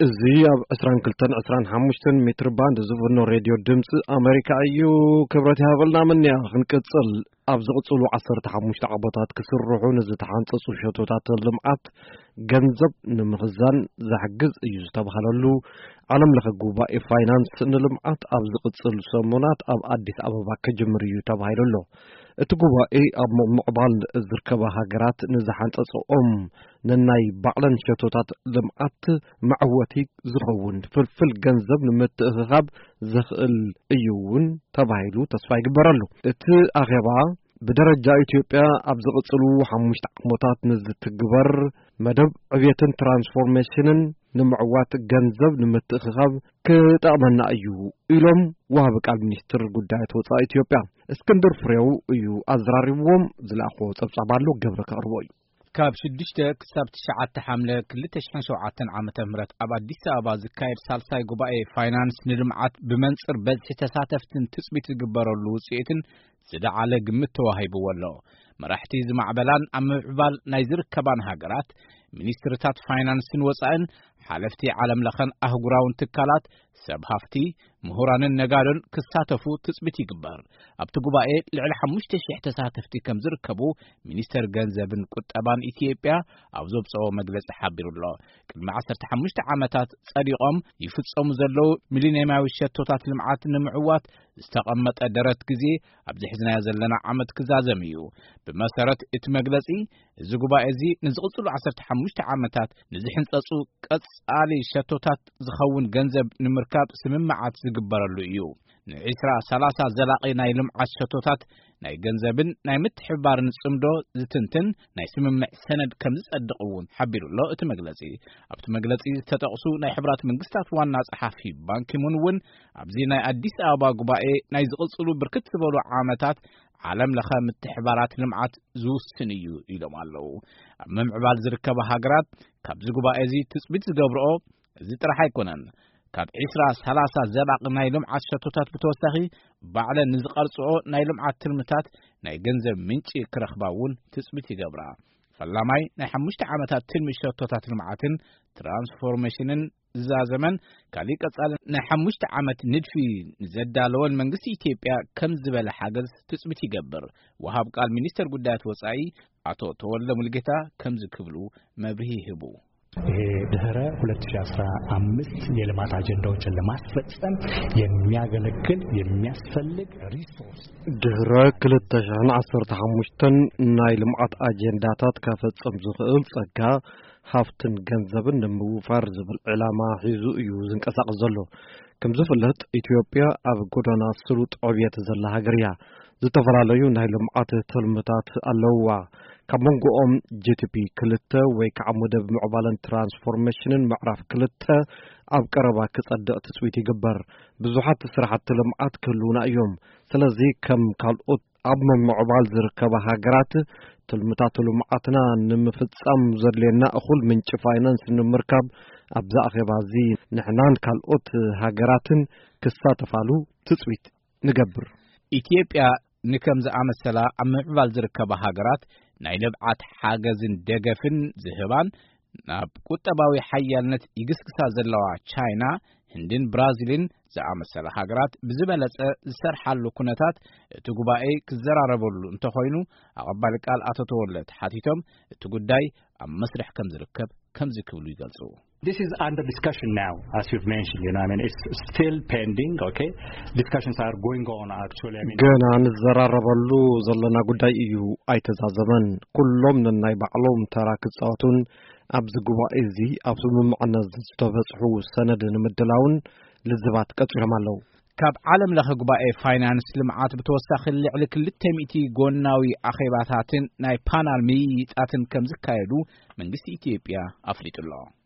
እዚ ኣብ ዕስራን ክልተን ዕስራን ሓሙሽተን ሜትር ባንድ ዝፍኖ ሬድዮ ድምፂ ኣሜሪካ እዩ። ክብረት ይሃበልና ምንያ። ክንቅፅል፣ ኣብ ዝቕፅሉ ዓሰርተ ሓሙሽተ ዓመታት ክስርሑ ንዝተሓንፀፁ ሸቶታት ልምዓት ገንዘብ ንምኽዛን ዝሕግዝ እዩ ዝተባሃለሉ ዓለም ለኸ ጉባኤ ፋይናንስ ንልምዓት ኣብ ዝቕፅል ሰሙናት ኣብ ኣዲስ ኣበባ ክጅምር እዩ ተባሂሉ ኣሎ። እቲ ጉባኤ ኣብ ምዕባል ዝርከባ ሃገራት ንዝሓንፀፀኦም ነናይ ባዕለን ሸቶታት ልምዓት መዕወቲ ዝኸውን ፍልፍል ገንዘብ ንምትእኽኻብ ዘኽእል እዩ እውን ተባሂሉ ተስፋ ይግበረሉ። እቲ ኣኼባ ብደረጃ ኢትዮጵያ ኣብ ዝቕፅሉ ሓሙሽተ ዓመታት ንዝትግበር መደብ ዕብየትን ትራንስፎርሜሽንን ንምዕዋት ገንዘብ ንምትእኽኻብ ክጠቕመና እዩ ኢሎም ወሃቢ ቃል ሚኒስትር ጉዳያት ወፃኢ ኢትዮጵያ እስክንድር ፍሬው እዩ ኣዘራሪብዎም። ዝለኣኾ ፀብፃብ ኣሎ፣ ገብረ ከቕርቦ እዩ። ካብ ሽዱሽተ ክሳብ ትሽዓተ ሓምለ ክልተ ሽሕን ሸውዓተን ዓመተ ምህረት ኣብ ኣዲስ ኣበባ ዝካየድ ሳልሳይ ጉባኤ ፋይናንስ ንልምዓት ብመንጽር በዝሒ ተሳተፍትን ትጽቢት ዝግበረሉ ውጽኢትን ዝለዓለ ግምት ተዋሂብዎ ኣሎ። መራሕቲ ዝማዕበላን ኣብ ምዕባል ናይ ዝርከባን ሃገራት፣ ሚኒስትርታት ፋይናንስን ወጻእን፣ ሓለፍቲ ዓለም ለኸን ኣህጉራውን ትካላት፣ ሰብ ሃፍቲ፣ ምሁራንን ነጋዶን ክሳተፉ ትጽቢት ይግበር። ኣብቲ ጉባኤ ልዕሊ ሓሙሽተ ሽሕ ተሳተፍቲ ከም ዝርከቡ ሚኒስተር ገንዘብን ቁጠባን ኢትዮጵያ ኣብ ዘውጽኦ መግለጺ ሓቢሩ ኣሎ። ቅድሚ ዓሰርተ ሓሙሽተ ዓመታት ጸዲቖም ይፍጸሙ ዘለዉ ሚሊኒየማዊ ሸቶታት ልምዓት ንምዕዋት ዝተቐመጠ ደረት ግዜ ኣብዚ ሕዝናዮ ዘለና ዓመት ክዛዘም እዩ። ብመሰረት እቲ መግለጺ፣ እዚ ጉባኤ እዚ ንዝቕጽሉ ዓሰርተ ሓሙሽተ ዓመታት ንዝሕንጸጹ ቀጻሊ ሸቶታት ዝኸውን ገንዘብ ንምርካብ ስምምዓት ዝግበረሉ እዩ። ንዒስራ ሰላሳ ዘላቒ ናይ ልምዓት ሸቶታት ናይ ገንዘብን ናይ ምትሕብባርን ጽምዶ ዝትንትን ናይ ስምምዕ ሰነድ ከም ዝጸድቕ እውን ሓቢሩ ኣሎ እቲ መግለጺ። ኣብቲ መግለጺ ዝተጠቕሱ ናይ ሕቡራት መንግስታት ዋና ጸሓፊ ባንኪሙን እውን ኣብዚ ናይ ኣዲስ ኣበባ ጉባኤ ናይ ዝቕጽሉ ብርክት ዝበሉ ዓመታት ዓለም ለኸ ምትሕባራት ልምዓት ዝውስን እዩ ኢሎም ኣለዉ። ኣብ ምምዕባል ዝርከባ ሃገራት ካብዚ ጉባኤ እዚ ትጽቢት ዝገብርኦ እዚ ጥራሕ ኣይኮነን። ካብ ዒስራ ሰላሳ ዘላቒ ናይ ልምዓት ሸቶታት ብተወሳኺ ባዕለን ንዝቐርጽኦ ናይ ልምዓት ትልምታት ናይ ገንዘብ ምንጪ ክረኽባ እውን ትጽቢት ይገብራ። ፈላማይ ናይ ሓሙሽተ ዓመታት ትልሚ ሸቶታት ልምዓትን ትራንስፎርሜሽንን ዝዛዘመን ካሊእ ቀጻሊ ናይ ሓሙሽተ ዓመት ንድፊ ንዘዳለወን መንግስቲ ኢትዮጵያ ከም ዝበለ ሓገዝ ትጽቢት ይገብር። ወሃብ ቃል ሚኒስተር ጉዳያት ወጻኢ ኣቶ ተወልደ ሙልጌታ ከምዚ ክብሉ መብርሂ ይህቡ። ይሄ ድህረ ሁለት ሺህ አስራ አምስት የልማት አጀንዳዎችን ለማስፈጸም የሚያገለግል የሚያስፈልግ ሪሶርስ። ድህረ ክልተ ሽሕን ዓሰርተ ሓሙሽተን ናይ ልምዓት ኣጀንዳታት ከፈጽም ዝኽእል ጸጋ፣ ሃፍትን ገንዘብን ንምውፋር ዝብል ዕላማ ሒዙ እዩ ዝንቀሳቐስ ዘሎ። ከም ዝፍለጥ፣ ኢትዮጵያ ኣብ ጎደና ስሉጥ ዕብየት ዘላ ሃገር እያ። ዝተፈላለዩ ናይ ልምዓት ትልምታት ኣለውዋ። ካብ መንጎኦም ጂ ቲ ፒ ክልተ ወይ ከዓ መደብ ምዕባለን ትራንስፎርሜሽንን ምዕራፍ ክልተ ኣብ ቀረባ ክጸድቕ ትጽቢት ይግበር። ብዙሓት ስራሕቲ ልምዓት ክህልዉና እዮም። ስለዚ ከም ካልኦት ኣብ ምምዕባል ዝርከባ ሃገራት ትልምታት ልምዓትና ንምፍጻም ዘድልየና እኹል ምንጪ ፋይናንስ ንምርካብ ኣብዚ ኣኼባ እዚ ንሕናን ካልኦት ሃገራትን ክሳተፋሉ ትጽቢት ንገብር። ኢትዮጵያ ንከም ዝኣመሰላ ኣብ ምዕባል ዝርከባ ሃገራት ናይ ልምዓት ሓገዝን ደገፍን ዝህባን ናብ ቁጠባዊ ሓያልነት ይግስግሳ ዘለዋ ቻይና፣ ህንድን ብራዚልን ዝኣመሰላ ሃገራት ብዝበለጸ ዝሰርሓሉ ኩነታት እቲ ጉባኤ ክዘራረበሉ እንተኾይኑ ኣቐባሊ ቃል ኣቶ ተወለ ተሓቲቶም እቲ ጉዳይ ኣብ መስርሕ ከም ዝርከብ ከምዚ ክብሉ ይገልጹ። This is under discussion now, as you've mentioned, you know, I mean, it's still pending, okay? Discussions are going on, actually. I mean, ገና ንዘራረበሉ ዘለና ጉዳይ እዩ፣ ኣይተዛዘመን። ኩሎም ነናይ ባዕሎም ተራ ክጻወቱን ኣብዚ ጉባኤ እዚ ኣብ ስምምዕነት ዝተበጽሑ ሰነድ ንምድላውን ልዝባት ቀጺሎም ኣለዉ። ካብ ዓለም ለኸ ጉባኤ ፋይናንስ ልምዓት ብተወሳኺ ልዕሊ ክልተ ሚእቲ ጎናዊ ኣኼባታትን ናይ ፓናል ምይይጣትን ከም ዝካየዱ መንግስቲ ኢትዮጵያ ኣፍሊጡ ኣሎ።